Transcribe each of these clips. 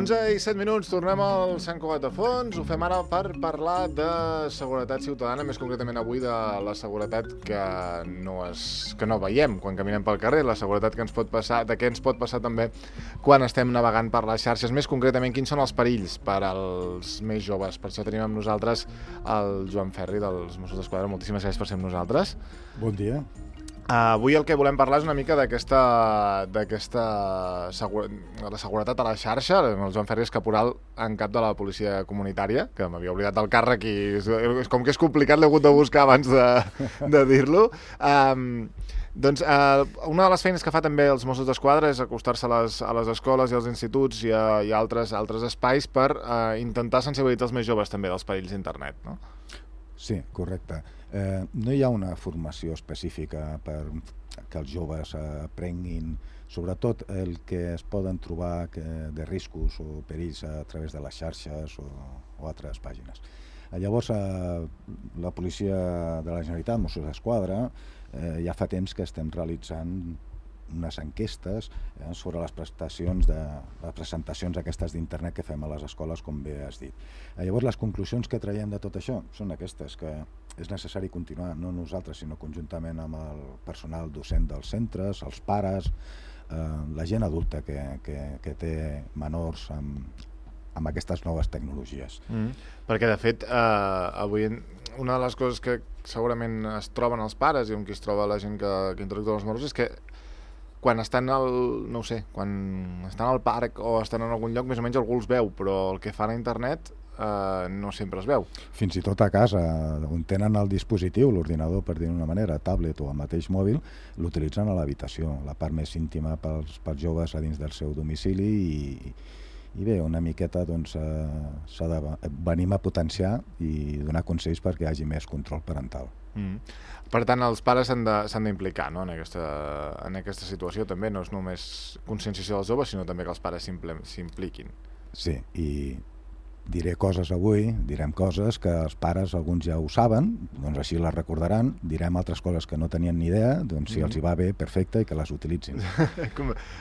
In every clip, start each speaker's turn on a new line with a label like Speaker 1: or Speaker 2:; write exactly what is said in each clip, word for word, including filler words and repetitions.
Speaker 1: onze i set minuts, tornem al Sant Cugat de Fons. Ho fem ara per parlar de seguretat ciutadana, més concretament avui de la seguretat que no, es, que no veiem quan caminem pel carrer, la seguretat que ens pot passar, de què ens pot passar també quan estem navegant per les xarxes. Més concretament, quins són els perills per als més joves. Per això tenim amb nosaltres el Joan Ferri dels Mossos d'Esquadra. Moltíssimes gràcies per ser amb nosaltres.
Speaker 2: Bon dia.
Speaker 1: Uh, avui el que volem parlar és una mica d'aquesta d'aquesta segur... la seguretat a la xarxa. El Joan Ferri és caporal en cap de la policia comunitària, que m'havia oblidat del càrrec i és com que és complicat, l'he hagut de buscar abans de, de dir-lo. Um, doncs uh, una de les feines que fa també els Mossos d'Esquadra és acostar-se a les, a les escoles i als instituts i a, i a altres, altres espais per uh, intentar sensibilitzar els més joves també dels perills d'internet, no?
Speaker 2: Sí, correcte. Eh, no hi ha una formació específica per que els joves aprenguin, sobretot el que es poden trobar que, de riscos o perills a través de les xarxes o, o altres pàgines. Llavors, eh, la policia de la Generalitat, Mossos d'Esquadra, eh, ja fa temps que estem realitzant unes enquestes eh, sobre les prestacions de les presentacions aquestes d'internet que fem a les escoles, com bé has dit. Eh, llavors, les conclusions que traiem de tot això són aquestes, que és necessari continuar, no nosaltres, sinó conjuntament amb el personal docent dels centres, els pares, eh, la gent adulta que, que, que té menors amb, amb aquestes noves tecnologies.
Speaker 1: Mm. Perquè, de fet, eh, avui una de les coses que segurament es troben els pares i amb qui es troba la gent que, que interactua amb els menors és que quan estan al, no ho sé, quan estan al parc o estan en algun lloc, més o menys algú els veu, però el que fan a internet eh, no sempre es veu.
Speaker 2: Fins i tot a casa, on tenen el dispositiu, l'ordinador, per dir-ho d'una manera, tablet o el mateix mòbil, l'utilitzen a l'habitació, la part més íntima pels, pels joves a dins del seu domicili i, i bé, una miqueta doncs eh, s'ha de venim a potenciar i donar consells perquè hi hagi més control parental.
Speaker 1: Mm. Per tant, els pares s'han d'implicar, no? en, aquesta, en aquesta situació també, no és només conscienciació dels joves, sinó també que els pares s'impliquin.
Speaker 2: Sí, i diré coses avui, direm coses que els pares, alguns ja ho saben, doncs així les recordaran, direm altres coses que no tenien ni idea, doncs si mm. els hi va bé, perfecte, i que les utilitzin.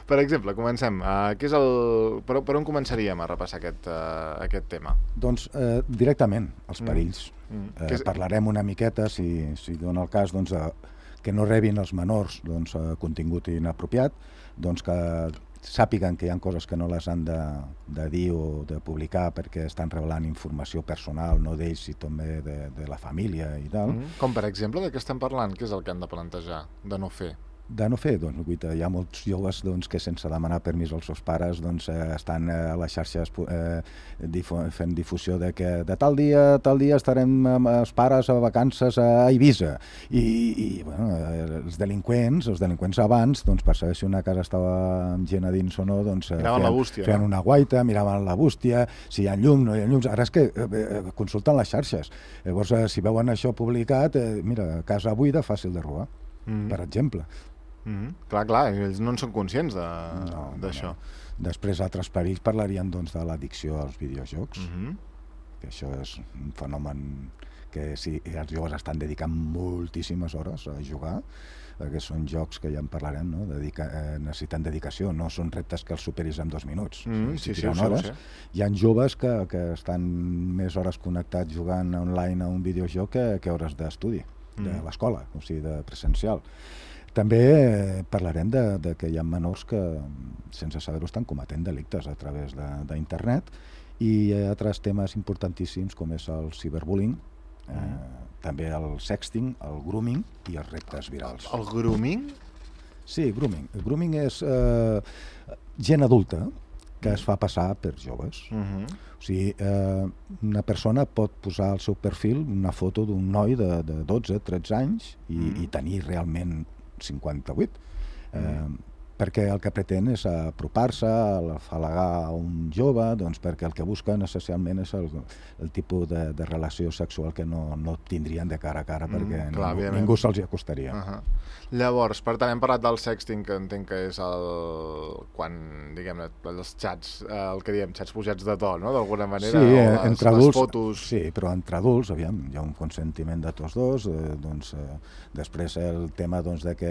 Speaker 1: Per exemple, comencem. Uh, què és el... per, per on començaríem a repassar aquest, uh, aquest tema?
Speaker 2: Doncs eh, directament, els perills.
Speaker 1: Mm. Mm.
Speaker 2: Eh, és... Parlarem una miqueta, si, si dona el cas, doncs, de, que no rebin els menors doncs, contingut inapropiat, doncs que sàpiguen que hi ha coses que no les han de, de dir o de publicar perquè estan revelant informació personal, no d'ells, i també de, de la família i tal.
Speaker 1: Mm. Com per exemple, de què estem parlant? Què és el que han de plantejar, de no fer?
Speaker 2: De no fer, doncs, hi ha molts joves doncs, que sense demanar permís als seus pares doncs, eh, estan a les xarxes eh, difu fent difusió de que de tal dia, tal dia estarem amb els pares a vacances a Eivissa. I, i bueno, els delinqüents, els delinqüents abans, doncs, per saber si una casa estava amb gent a dins o no, doncs,
Speaker 1: miraven la bústia,
Speaker 2: feien
Speaker 1: no?
Speaker 2: una guaita, miraven la bústia, si hi ha llum, no hi ha llums. Ara és que eh, consulten les xarxes. Llavors, eh, si veuen això publicat, eh, mira, casa buida, fàcil de robar, mm-hmm. per exemple.
Speaker 1: Mm-hmm. Clar, clar, ells no en són conscients d'això.
Speaker 2: No, no, no. Després, altres perills parlarien doncs, de l'addicció als videojocs, mm-hmm. que això és un fenomen que sí, els joves estan dedicant moltíssimes hores a jugar, perquè són jocs que ja en parlarem, no? Dedica, eh, necessiten dedicació, no són reptes que els superis en dos minuts.
Speaker 1: Mm, sí, sí, sí,
Speaker 2: hores. Sí. Hi ha joves que, que estan més hores connectats jugant online a un videojoc que, que hores d'estudi, mm. de l'escola, o sigui, de presencial. També parlarem de, de que hi ha menors que, sense saber-ho, estan cometent delictes a través d'internet, i altres temes importantíssims com és el ciberbullying, eh, també el sexting, el grooming i els reptes virals.
Speaker 1: El grooming?
Speaker 2: Sí, grooming. El grooming és eh, gent adulta que es fa passar per joves. Uh-huh. O sigui, eh, una persona pot posar al seu perfil una foto d'un noi de, de dotze, tretze anys i, uh-huh. i tenir realment cinquanta-vuit, eh, mm. perquè el que pretén és apropar-se, afalagar a un jove, doncs perquè el que busquen essencialment és el, el tipus de, de relació sexual que no, no tindrien de cara a cara, mm, perquè clar, ningú, ningú se'ls hi acostaria.
Speaker 1: Uh-huh. Llavors, per tant, hem parlat del sexting, que entenc que és el... quan, diguem-ne, els xats, el que diem, xats pujats de to, no?, d'alguna manera,
Speaker 2: sí,
Speaker 1: o les,
Speaker 2: entre adults,
Speaker 1: les fotos...
Speaker 2: Sí, però entre adults, aviam, hi ha un consentiment de tots dos, eh, doncs, eh, després el tema doncs, de que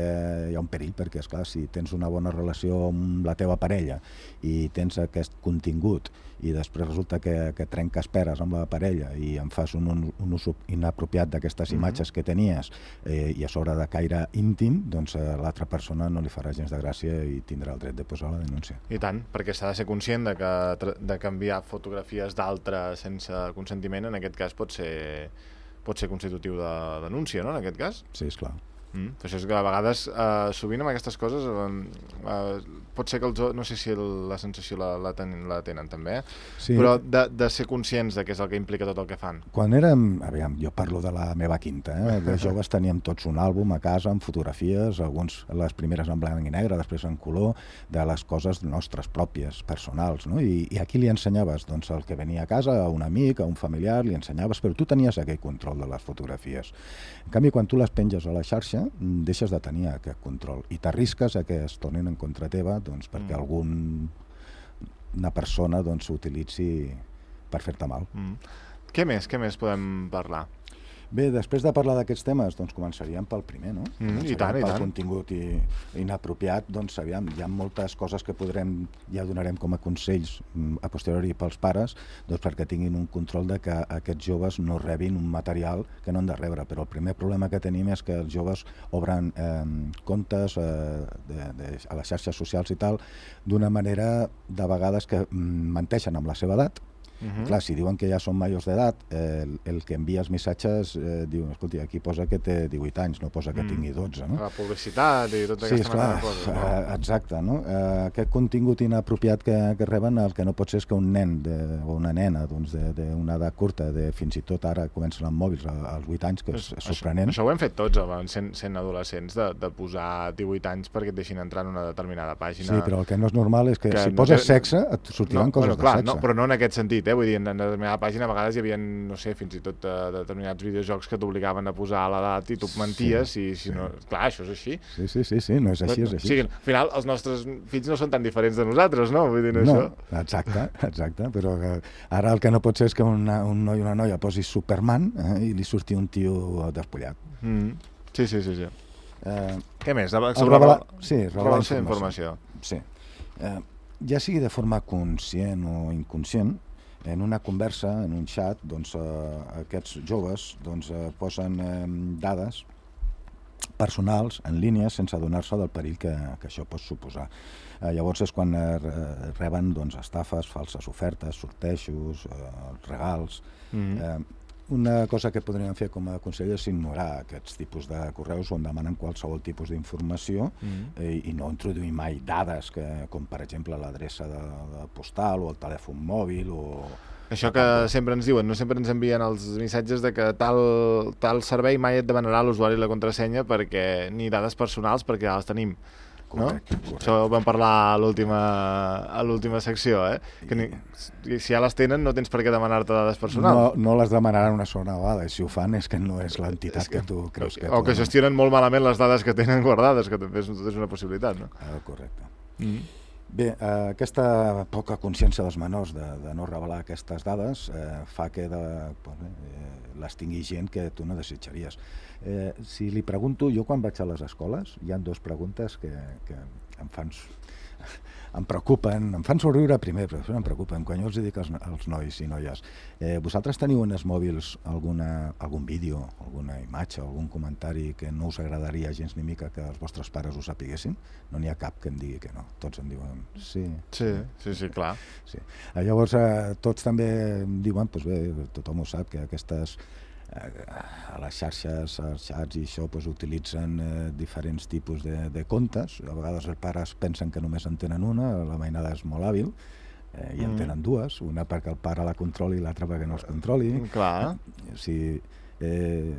Speaker 2: hi ha un perill, perquè, esclar, si tens una bona bona relació amb la teva parella i tens aquest contingut i després resulta que, que trenques peres amb la parella i en fas un, un, un ús inapropiat d'aquestes imatges que tenies eh, i a sobre de caire íntim, doncs a l'altra persona no li farà gens de gràcia i tindrà el dret de posar la denúncia.
Speaker 1: I tant, perquè s'ha de ser conscient de que de canviar fotografies d'altres sense consentiment, en aquest cas pot ser, pot ser constitutiu de denúncia, no?, en aquest cas?
Speaker 2: Sí, esclar.
Speaker 1: Mm. Això és que a vegades, eh, sovint amb aquestes coses, eh, eh, pot ser que els, no sé si el, la sensació la, la, ten, la tenen també, eh?
Speaker 2: Sí.
Speaker 1: Però de, de ser conscients de què és el que implica tot el que fan.
Speaker 2: Quan érem, aviam, jo parlo de la meva quinta, eh? De joves teníem tots un àlbum a casa amb fotografies, alguns les primeres en blanc i negre, després en color, de les coses nostres pròpies, personals, no? I, i aquí li ensenyaves doncs, el que venia a casa, a un amic, a un familiar, li ensenyaves, però tu tenies aquell control de les fotografies. En canvi, quan tu les penges a la xarxa, deixes de tenir aquest control i t'arrisques a que es tornin en contra teva doncs, perquè mm. algun, una persona doncs, s'utilitzi per fer-te mal.
Speaker 1: Mm. Què més? Què més podem parlar?
Speaker 2: Bé, després de parlar d'aquests temes, doncs començaríem pel primer, no?
Speaker 1: Mm, I tant, i tant.
Speaker 2: Pel contingut i, inapropiat, doncs aviam, hi ha moltes coses que podrem, ja donarem com a consells a posteriori pels pares, doncs perquè tinguin un control de que aquests joves no rebin un material que no han de rebre, però el primer problema que tenim és que els joves obren eh, comptes eh, de, de, a les xarxes socials i tal, d'una manera de vegades que mm, menteixen amb la seva edat. Uh-huh. Clar, si diuen que ja són majors d'edat, eh, el, el que envia els missatges eh, diu, escolti, aquí posa que té divuit anys, no posa que mm. tingui dotze, no?
Speaker 1: La publicitat i tota
Speaker 2: sí,
Speaker 1: aquesta
Speaker 2: esclar,
Speaker 1: mena de coses. No?
Speaker 2: Eh, exacte, no? Eh, aquest contingut inapropiat que, que reben, el que no pot ser és que un nen de, o una nena doncs, d'una edat curta, de, fins i tot ara comencen amb mòbils als vuit anys, que és, és sorprenent.
Speaker 1: Això, això ho hem fet tots, home, sent, sent adolescents, de, de posar divuit anys perquè et deixin entrar en una determinada pàgina.
Speaker 2: Sí, però el que no és normal és que, que si
Speaker 1: no
Speaker 2: poses
Speaker 1: té...
Speaker 2: sexe, et sortiran
Speaker 1: no,
Speaker 2: coses
Speaker 1: bueno, clar,
Speaker 2: de sexe.
Speaker 1: No, però no en aquest sentit, eh? Vull dir, en determinada pàgina a vegades hi havia, no sé, fins i tot uh, determinats videojocs que t'obligaven a posar l'edat i tu menties sí, i si sí. no... Clar, això és així.
Speaker 2: Sí, sí, sí, sí, no és així, és així.
Speaker 1: O sigui, al final els nostres fills no són tan diferents de nosaltres, no? Vull dir, no,
Speaker 2: no
Speaker 1: això.
Speaker 2: exacte, exacte, però ara el que no pot ser és que una, un noi o una noia posi Superman eh, i li surti un tio despullat.
Speaker 1: Mm. Sí, sí, sí, sí. Eh, Què més? Sobre
Speaker 2: revelar, sí,
Speaker 1: revelar informació.
Speaker 2: informació. Sí. Eh, ja sigui de forma conscient o inconscient, en una conversa, en un xat, doncs, eh, aquests joves doncs, eh, posen eh, dades personals en línia sense adonar-se del perill que, que això pot suposar. Eh, llavors és quan eh, reben doncs, estafes, falses ofertes, sortejos, eh, regals... Mm-hmm. eh, Una cosa que podríem fer com a consell és ignorar aquests tipus de correus on demanen qualsevol tipus d'informació mm-hmm. eh, i no introduir mai dades que, com per exemple l'adreça de, de postal o el telèfon mòbil o...
Speaker 1: Això que sempre ens diuen, no sempre ens envien els missatges de que tal, tal servei mai et demanarà l'usuari i la contrasenya perquè ni dades personals perquè ja les tenim.
Speaker 2: Correcte,
Speaker 1: no?
Speaker 2: correcte.
Speaker 1: Això ho vam parlar a l'última a l'última secció, eh? Que ni, si ja les tenen no tens per què demanar-te dades personals.
Speaker 2: No, no les demanaran una sola vegada, i si ho fan és que no és l'entitat que, que tu creus que...
Speaker 1: O que gestionen molt malament les dades que tenen guardades, que també és, és una possibilitat, no?
Speaker 2: Ah, correcte.
Speaker 1: Mm-hmm.
Speaker 2: Bé, eh, aquesta poca consciència dels menors de, de no revelar aquestes dades eh, fa que de, eh, les tingui gent que tu no desitjaries. Eh, si li pregunto, jo quan vaig a les escoles, hi ha dues preguntes que, que em fan... em preocupen, em fan somriure primer, però després em preocupen. Quan jo els dic als, als nois i noies, eh, vosaltres teniu en els mòbils alguna, algun vídeo, alguna imatge, algun comentari que no us agradaria gens ni mica que els vostres pares ho sapiguessin? No n'hi ha cap que em digui que no. Tots em diuen sí.
Speaker 1: Sí, sí, sí, clar.
Speaker 2: Sí. Llavors, eh, tots també em diuen, doncs bé, tothom ho sap, que aquestes a les xarxes, als xats i això pues, utilitzen eh, diferents tipus de, de comptes. A vegades els pares pensen que només en tenen una, la mainada és molt hàbil eh, i mm. en tenen dues, una perquè el pare la controli i l'altra perquè no els controli.
Speaker 1: Clar.
Speaker 2: O sigui, eh,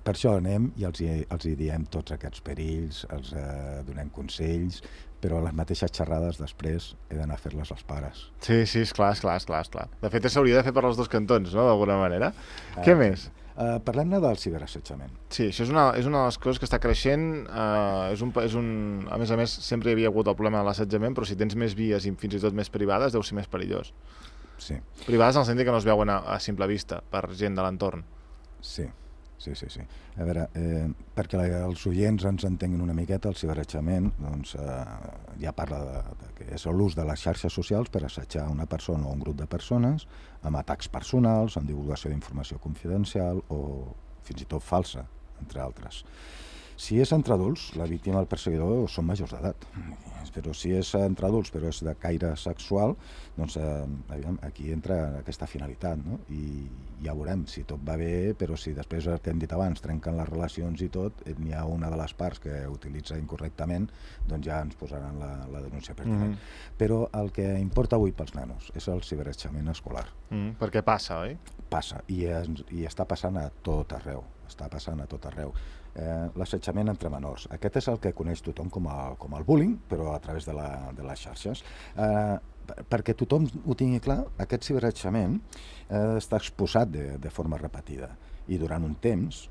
Speaker 2: per això anem i els, els hi diem tots aquests perills, els eh, donem consells, però les mateixes xerrades després he d'anar a fer-les als pares.
Speaker 1: Sí, sí, esclar, esclar, esclar, esclar. De fet, s'hauria de fer per als dos cantons, no?, d'alguna manera. Uh, Què més?
Speaker 2: Uh, Parlem-ne del ciberassetjament.
Speaker 1: Sí, això és una, és una de les coses que està creixent. Uh, és un, és un, a més a més, sempre hi havia hagut el problema de l'assetjament, però si tens més vies i fins i tot més privades, deu ser més perillós.
Speaker 2: Sí.
Speaker 1: Privades en el sentit que no es veuen a, a simple vista, per gent de l'entorn.
Speaker 2: Sí. sí, sí, sí. A veure, eh, perquè la, els oients ens entenguin una miqueta, el ciberassetjament doncs, eh, ja parla de, de que és l'ús de les xarxes socials per assetjar una persona o un grup de persones amb atacs personals, amb divulgació d'informació confidencial o fins i tot falsa, entre altres. Si és entre adults, la víctima i el perseguidor són majors d'edat. Però si és entre adults però és de caire sexual, doncs eh, aquí entra aquesta finalitat, no? I ja veurem si tot va bé, però si després el que hem dit abans trenquen les relacions i tot, n'hi ha una de les parts que utilitza incorrectament, doncs ja ens posaran la, la denúncia pertinent. Mm. Però el que importa avui pels nanos és el ciberassetjament escolar.
Speaker 1: Mm, perquè passa, oi?
Speaker 2: Passa, i, es, i està passant a tot arreu, està passant a tot arreu. Eh, l'assetjament entre menors. Aquest és el que coneix tothom com, a, com el bullying, però a través de, la, de les xarxes. Eh, perquè tothom ho tingui clar, aquest ciberassetjament eh, està exposat de, de forma repetida i durant un temps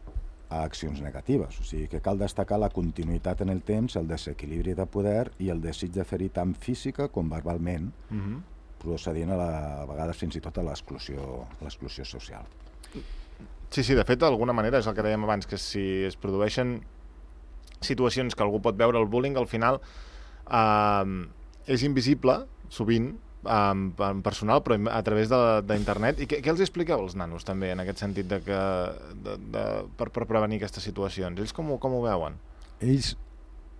Speaker 2: a accions negatives. O sigui que cal destacar la continuïtat en el temps, el desequilibri de poder i el desig de fer-hi tant física com verbalment, mm-hmm. procedint a, la, a vegades fins i tot a l'exclusió, l'exclusió social.
Speaker 1: Sí, sí, de fet, d'alguna manera és el que dèiem abans, que si es produeixen situacions que algú pot veure el bullying, al final eh, és invisible, sovint, eh, en personal, però a través d'internet. I què, què els expliqueu als nanos, també, en aquest sentit, de que, de, de, per, per prevenir aquestes situacions? Ells com ho, com ho veuen?
Speaker 2: Ells,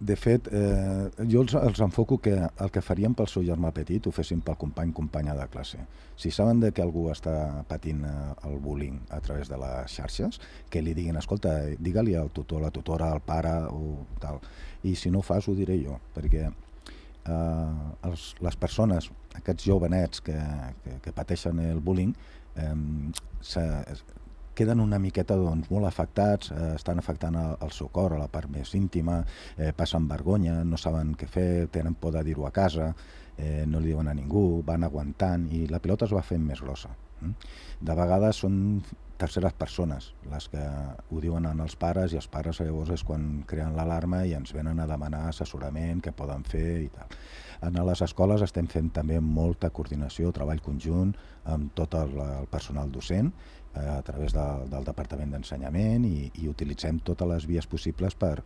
Speaker 2: de fet, eh, jo els, els enfoco que el que farien pel seu germà petit ho fessin pel company, companya de classe. Si saben de que algú està patint el bullying a través de les xarxes, que li diguin, escolta, digue-li al tutor, la tutora, al pare o tal. I si no ho fas, ho diré jo, perquè eh, els, les persones, aquests jovenets que, que, que pateixen el bullying, eh, se, queden una miqueta doncs, molt afectats, eh, estan afectant el, el seu cor, a la part més íntima, eh, passen vergonya, no saben què fer, tenen por de dir-ho a casa, eh, no li diuen a ningú, van aguantant i la pilota es va fent més grossa. Mm? De vegades són terceres persones les que ho diuen als pares i els pares llavors és quan creen l'alarma i ens venen a demanar assessorament, què poden fer i tal. A les escoles estem fent també molta coordinació, treball conjunt amb tot el, el personal docent, a través de, del Departament d'Ensenyament i, i utilitzem totes les vies possibles per,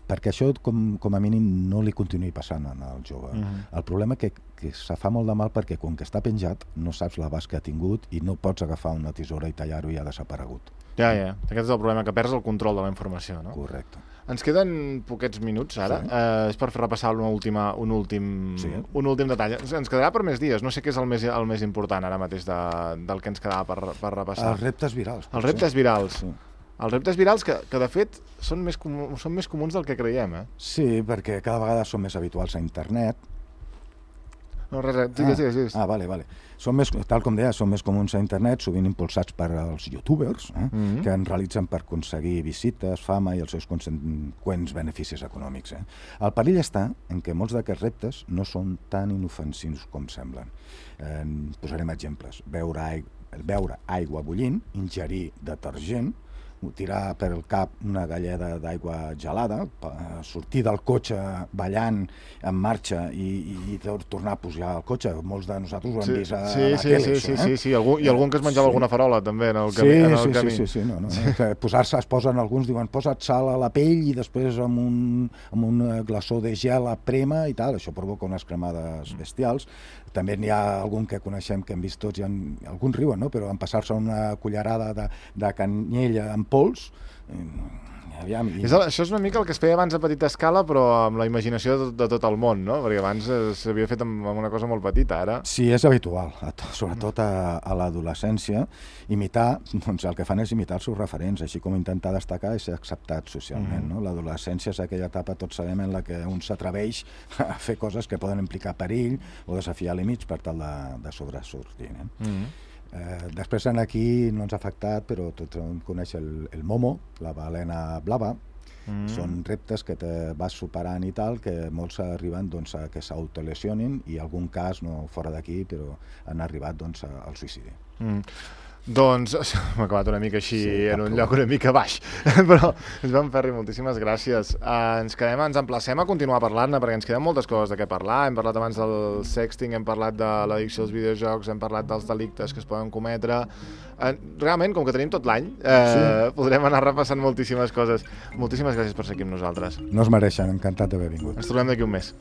Speaker 2: perquè això com, com a mínim no li continuï passant al jove. Uh-huh. El problema és que, que se fa molt de mal perquè com que està penjat no saps l'abast que ha tingut i no pots agafar una tisora i tallar-ho i ha desaparegut.
Speaker 1: Ja, ja. Aquest és el problema, que perds el control de la informació, no?
Speaker 2: Correcte.
Speaker 1: Ens queden poquets minuts ara, sí. eh, és per repassar una última, un, últim, sí. un últim detall. Ens quedarà per més dies, no sé què és el més, el més important ara mateix de, del que ens quedava per, per repassar.
Speaker 2: Els reptes virals.
Speaker 1: Els reptes virals. Sí. Els reptes virals que, que de fet són més, comú, són més comuns del que creiem, eh?
Speaker 2: Sí, perquè cada vegada són més habituals a internet.
Speaker 1: No, res, res. Digues, digues, digues.
Speaker 2: Ah, vale, vale. Són més, tal com deia, són més comuns a internet, sovint impulsats per als youtubers, eh, mm-hmm. que en realitzen per aconseguir visites, fama i els seus conseqüents beneficis econòmics. Eh. El perill està en què molts d'aquests reptes no són tan inofensius com semblen. Eh, posarem exemples. Beure, aigua, beure aigua bullint, ingerir detergent, tirar per el cap una galleda d'aigua gelada, sortir del cotxe ballant en marxa i, i tornar a pujar al cotxe. Molts de nosaltres ho hem
Speaker 1: sí,
Speaker 2: vist a
Speaker 1: sí,
Speaker 2: la
Speaker 1: sí,
Speaker 2: tele,
Speaker 1: sí,
Speaker 2: això,
Speaker 1: sí,
Speaker 2: eh?
Speaker 1: sí, sí, algú, i algun que es menjava sí. alguna farola també en el camí.
Speaker 2: Sí,
Speaker 1: en el
Speaker 2: sí,
Speaker 1: camí.
Speaker 2: sí, sí, sí, no, no. Sí. Posar-se, es posen alguns, diuen, posa't sal a la pell i després amb un, amb un glaçó de gel a prema i tal, això provoca unes cremades bestials. També n'hi ha algun que coneixem que hem vist tots, i en, alguns riuen, no? Però en passar-se una cullerada de, de canyella en pols, aviam, i...
Speaker 1: és el, això és una mica el que es feia abans a petita escala, però amb la imaginació de, de tot el món, no? Perquè abans s'havia fet amb, amb una cosa molt petita, ara...
Speaker 2: Sí, és habitual, sobretot a, a l'adolescència. Imitar, doncs el que fan és imitar els seus referents, així com intentar destacar i ser acceptat socialment, mm. no? L'adolescència és aquella etapa, tots sabem, en la que un s'atreveix a fer coses que poden implicar perill o desafiar límits per tal de, de sobresortir, eh? Mm. Eh, després en aquí no ens ha afectat, però tots coneixen el, el Momo, la balena blava. Mm. Són reptes que te vas superant i tal, que molts arriben doncs, a que s'autolesionin i en algun cas, no fora d'aquí, però han arribat doncs, al suïcidi.
Speaker 1: Mm. Doncs m'ha acabat una mica així, sí, en un lloc una mica baix, però Joan Ferri, moltíssimes gràcies. Uh, ens quedem, ens emplacem a continuar parlant-ne, perquè ens queden moltes coses de què parlar. Hem parlat abans del sexting, hem parlat de l'addicció als videojocs, hem parlat dels delictes que es poden cometre. Uh, realment, com que tenim tot l'any, uh, sí. podrem anar repassant moltíssimes coses. Moltíssimes gràcies per ser aquí amb nosaltres.
Speaker 2: No es mereixen, encantat d'haver vingut.
Speaker 1: Ens trobem d'aquí un mes.